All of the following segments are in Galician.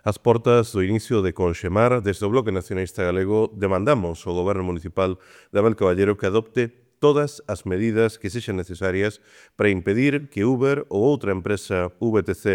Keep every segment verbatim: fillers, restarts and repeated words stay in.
Ás portas do inicio de Conxemar, desde o Bloque Nacionalista Galego, demandamos ao Goberno Municipal de Abel Caballero que adopte todas as medidas que sexan necesarias para impedir que Uber ou outra empresa V T C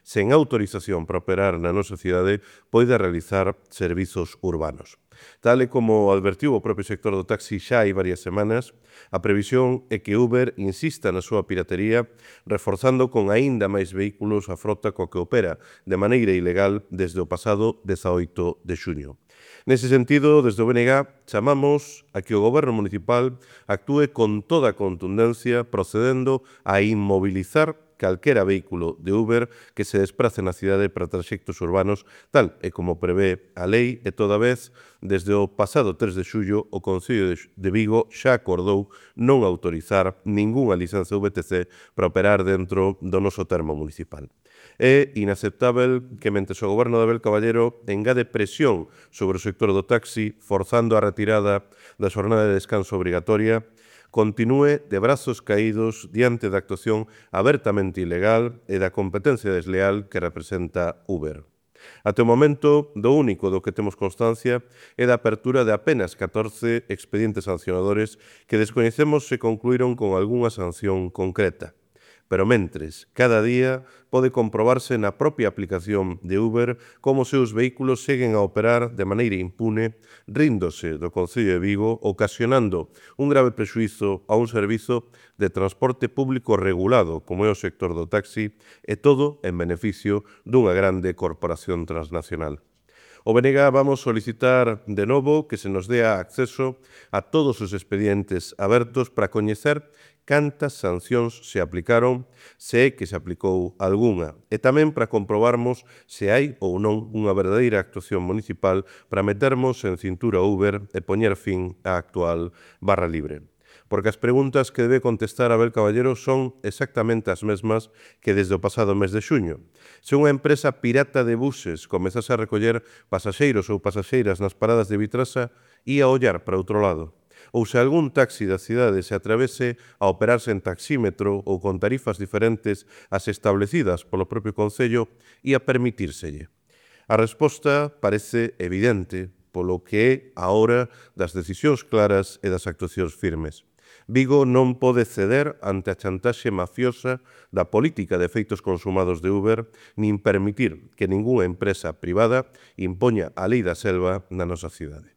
sen autorización para operar na nosa cidade poida realizar servizos urbanos. Tal e como advertiu o propio sector do taxi xa hai varias semanas, a previsión é que Uber insista na súa piratería, reforzando con aínda máis vehículos a frota coa que opera de maneira ilegal desde o pasado dezaoito de xuño. Nese sentido, desde o B N G chamamos a que o Goberno Municipal actúe con toda a contundencia procedendo a inmobilizar calquera vehículo de Uber que se desprace na cidade para traxectos urbanos, tal e como prevé a lei, e toda vez, desde o pasado tres de xullo, o Concello de Vigo xa acordou non autorizar ningunha licenza V T C para operar dentro do noso termo municipal. É inaceptável que, mentres o Goberno de Abel Caballero engade presión sobre o sector do taxi, forzando a retirada da xornada de descanso obrigatoria, continúe de brazos caídos diante da actuación abertamente ilegal e da competencia desleal que representa Uber. Até o momento, do único do que temos constancia é da apertura de apenas catorce expedientes sancionadores que descoñecemos se concluíron con algunha sanción concreta. Pero mentres, cada día pode comprobarse na propia aplicación de Uber como os seus vehículos seguen a operar de maneira impune, ríndose do Concello de Vigo, ocasionando un grave prexuízo a un servizo de transporte público regulado como é o sector do taxi, e todo en beneficio dunha grande corporación transnacional. O B N G vamos solicitar de novo que se nos dea acceso a todos os expedientes abertos para coñecer cantas sancións se aplicaron, se é que se aplicou algunha, e tamén para comprobarmos se hai ou non unha verdadeira actuación municipal para metermos en cintura Uber e poñer fin á actual barra libre. Porque as preguntas que debe contestar Abel Caballero son exactamente as mesmas que desde o pasado mes de xuño. Se unha empresa pirata de buses comezase a recoller pasaxeiros ou pasaxeiras nas paradas de Vitrasa, ia ollar para outro lado. Ou se algún taxi da cidade se atrevese a operarse en taxímetro ou con tarifas diferentes ás establecidas polo propio Concello, ia permitírselle. A resposta parece evidente, polo que é a hora das decisións claras e das actuacións firmes. Vigo non pode ceder ante a chantaxe mafiosa da política de efeitos consumados de Uber, nin permitir que ningunha empresa privada impoña a lei da selva na nosa cidade.